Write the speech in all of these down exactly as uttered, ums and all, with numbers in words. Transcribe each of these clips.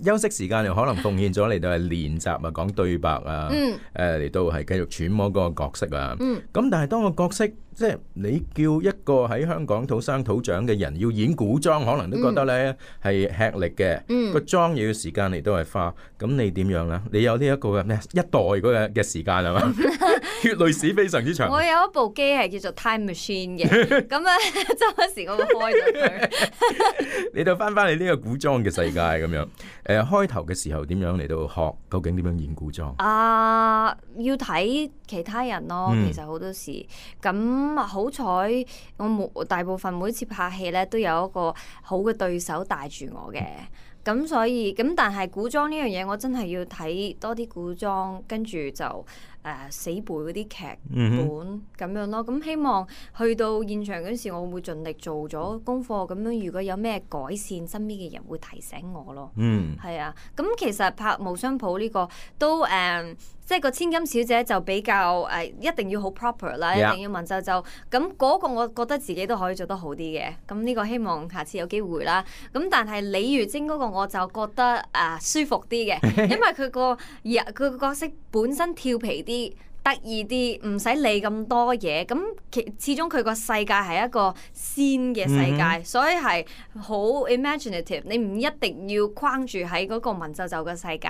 休息時間又可能奉獻咗嚟到係練習啊，講對白啊，誒嚟、嗯、到係繼續揣摩嗰個角色啊。咁、嗯、但係當個角色即係你叫一個喺香港土生土長嘅人要演古裝，可能都覺得咧係、嗯、吃力嘅。嗯、個妝又要時間嚟到係花，咁你點樣咧？你有呢一個嘅咩一代嗰個嘅時間係嘛？血淚史非常之長。我有一部機係叫做 Time Machine 嘅，咁咧周不時我會開咗佢。你就翻翻你呢個古裝嘅世界咁樣。誒、呃，開頭嘅時候點樣嚟到學？究竟點樣演古裝？啊，要睇其他人咯。嗯、其實好多時咁好彩，我冇大部分每次拍戲咧都有一個好嘅對手帶住我嘅。咁所以咁，但係古裝呢樣嘢，我真係要睇多啲古裝，跟住就誒、呃、死背嗰啲劇本咁、嗯、樣咯。咁希望去到現場嗰時，我會盡力做咗功課。咁樣如果有咩改善，身邊嘅人會提醒我咯。嗯，係啊。咁其實拍《無雙譜》呢個都誒。呃即係個千金小姐就比較誒、呃，一定要好 proper 啦， Yeah. 一定要文縐縐。咁嗰個我覺得自己都可以做得好啲嘅。咁呢個希望下次有機會啦。咁但係李如晶嗰個我就覺得誒、呃、舒服啲嘅，因為佢個佢個角色本身調皮啲。得意啲，唔使理咁多嘢。咁其始終佢個世界係一個仙嘅世界，嗯、所以係好 imaginative。你唔一定要框住喺嗰個文縐縐嘅世界。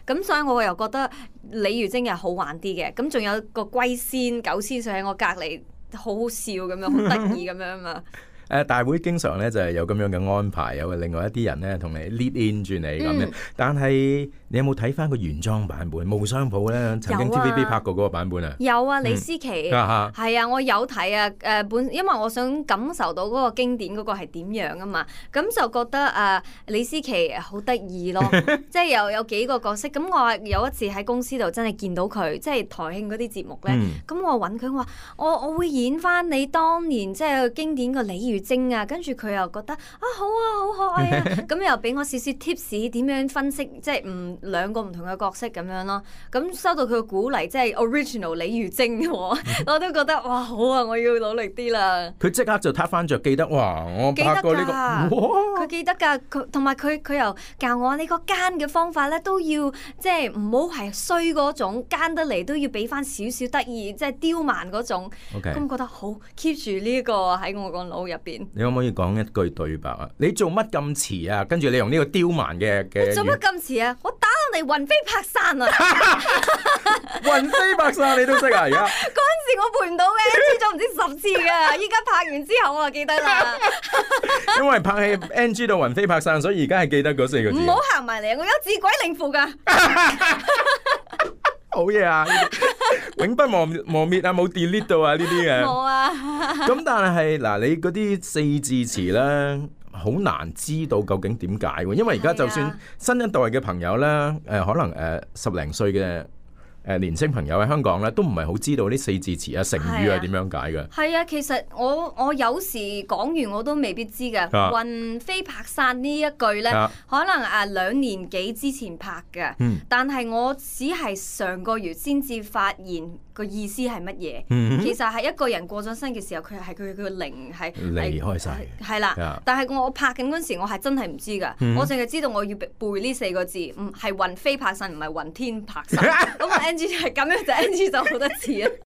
咁所以我又覺得李如晶又好玩啲嘅。咁仲有個龜仙、狗仙上喺我隔離，好好笑咁樣，好得意咁樣啊嘛。誒大會經常咧就係有咁樣嘅安排，有另外一啲人咧同你 lead in 住你咁樣。嗯、但係你有冇睇翻個原裝版本《無雙譜》咧？曾經 T V B 拍過嗰個版本啊？有啊，李思琪係、嗯、啊，我有睇啊。誒本因為我想感受到嗰個經典嗰個係點樣啊嘛，咁就覺得啊李思琪好得意咯，即係有有幾個角色。咁我有一次喺公司度真係見到佢，即係台慶嗰啲節目咧。咁、嗯、我揾佢話：我我會演翻你當年即係經典個李如精啊，跟住佢又覺得啊好啊，好可愛啊，咁又俾我少少 tips 點樣分析，即係唔兩個唔同嘅角色咁樣咯。咁收到佢嘅鼓勵，即係 original 李如精，我都覺得哇好啊，我要努力啲啦。佢即刻就撻翻着記得哇！我拍過呢個，佢記得㗎，佢同埋佢佢又教我你個奸嘅方法咧，都要即係唔好係衰嗰種，奸得嚟都要俾翻少少得意，即係刁蠻嗰種。咁 Okay. 覺得好 keep 住呢個喺我個腦入邊。你可唔可以講一句對白啊？你做乜咁遲啊？跟住你用呢個刁蠻嘅嘅。做乜咁遲啊？我打到你魂飛魄散啊！魂飛魄散你都識啊？而家嗰陣時我背唔到嘅，知咗唔知十次㗎。依家拍完之後我就記得啦。因為拍戲 N G 到魂飛魄散，所以而家係記得嗰四個字。唔好行埋嚟，我有自鬼靈符㗎。好嘢啊！永不磨磨滅啊，冇 delete 到啊呢啲嘅。冇啊。咁但係嗱，你嗰啲四字詞咧，好難知道究竟點解喎？因為而家就算新一代嘅朋友咧，誒、呃、可能誒、呃、十零歲嘅。誒年輕朋友喺香港咧，都唔係好知道啲四字詞啊、成語係點樣解嘅。係啊，其實我我有時講完我都未必知嘅。啊、魂飛魄散呢一句咧，啊、可能誒兩年幾之前拍嘅，嗯、但係我只係上個月先至發現個意思係乜嘢。嗯、其實係一個人過咗身嘅時候，佢係佢佢個靈係離開晒。係啦，啊、但係我拍緊嗰陣時，我係真係唔知㗎。嗯、我淨係知道我要背呢四個字，唔係魂飛魄散，唔係雲天魄散。咁係咁樣就 N G 就好多次啊！